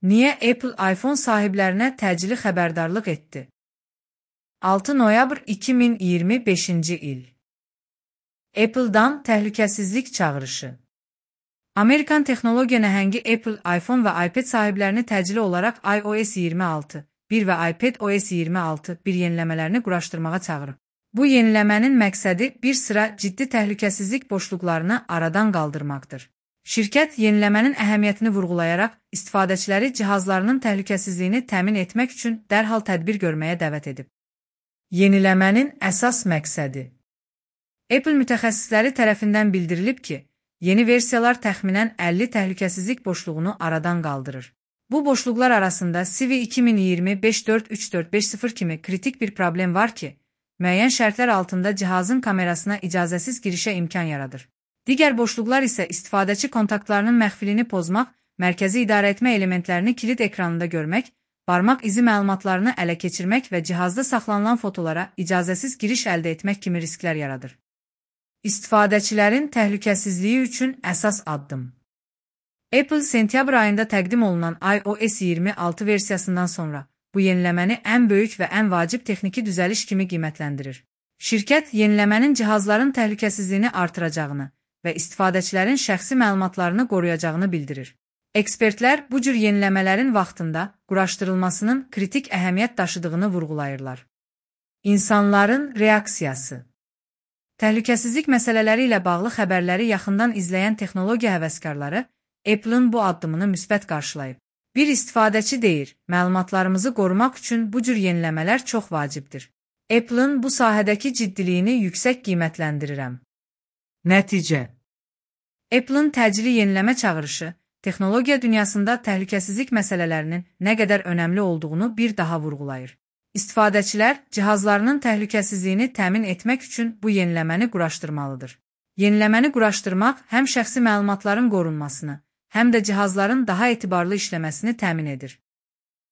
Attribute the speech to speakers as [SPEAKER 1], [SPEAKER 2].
[SPEAKER 1] Niyə Apple iPhone sahiblərinə təcili xəbərdarlıq etdi? 6 noyabr 2025-ci il. Apple-dan təhlükəsizlik çağırışı. Amerikan texnologiya nəhəngi Apple iPhone və iPad sahiblərini təcili olaraq iOS 26 1 və iPadOS 26 1 yeniləmələrini quraşdırmağa çağırıb. Bu yeniləmənin məqsədi bir sıra ciddi təhlükəsizlik boşluqlarını aradan qaldırmaqdır. Şirkət yeniləmənin əhəmiyyətini vurğulayaraq istifadəçiləri cihazlarının təhlükəsizliyini təmin etmək üçün dərhal tədbir görməyə dəvət edib. Yeniləmənin əsas məqsədi. Apple mütəxəssisləri tərəfindən bildirilib ki, yeni versiyalar təxminən 50 təhlükəsizlik boşluğunu aradan qaldırır. Bu boşluqlar arasında CV 2020-543450 kimi kritik bir problem var ki, müəyyən şərtlər altında cihazın kamerasına icazəsiz girişə imkan yaradır. Digər boşluqlar isə istifadəçi kontaktlarının məxfilini pozmaq, mərkəzi idarəetmə elementlərini kilit ekranında görmək, barmaq izi məlumatlarını ələ keçirmək və cihazda saxlanılan fotolara icazəsiz giriş əldə etmək kimi risklər yaradır. İstifadəçilərin təhlükəsizliyi üçün əsas addım. Apple sentyabr ayında təqdim olunan iOS 26 versiyasından sonra bu yeniləməni ən böyük və ən vacib texniki düzəliş kimi qiymətləndirir. Şirkət yeniləmənin cihazların təhlükəsizliyini artıracağını və istifadəçilərin şəxsi məlumatlarını qoruyacağını bildirir. Ekspertlər bu cür yeniləmələrin vaxtında quraşdırılmasının kritik əhəmiyyət daşıdığını vurğulayırlar. İnsanların reaksiyası. Təhlükəsizlik məsələləri ilə bağlı xəbərləri yaxından izləyən texnologiya həvəskarları Apple-ın bu addımını müsbət qarşılayıb. Bir istifadəçi deyir, məlumatlarımızı qorumaq üçün bu cür yeniləmələr çox vacibdir. Apple-ın bu sahədəki ciddiliyini yüksək qiymətləndirirəm. Nəticə. Apple-ın təcili yeniləmə çağırışı, texnologiya dünyasında təhlükəsizlik məsələlərinin nə qədər önəmli olduğunu bir daha vurğulayır. İstifadəçilər cihazlarının təhlükəsizliyini təmin etmək üçün bu yeniləməni quraşdırmalıdır. Yeniləməni quraşdırmaq həm şəxsi məlumatların qorunmasını, həm də cihazların daha etibarlı işləməsini təmin edir.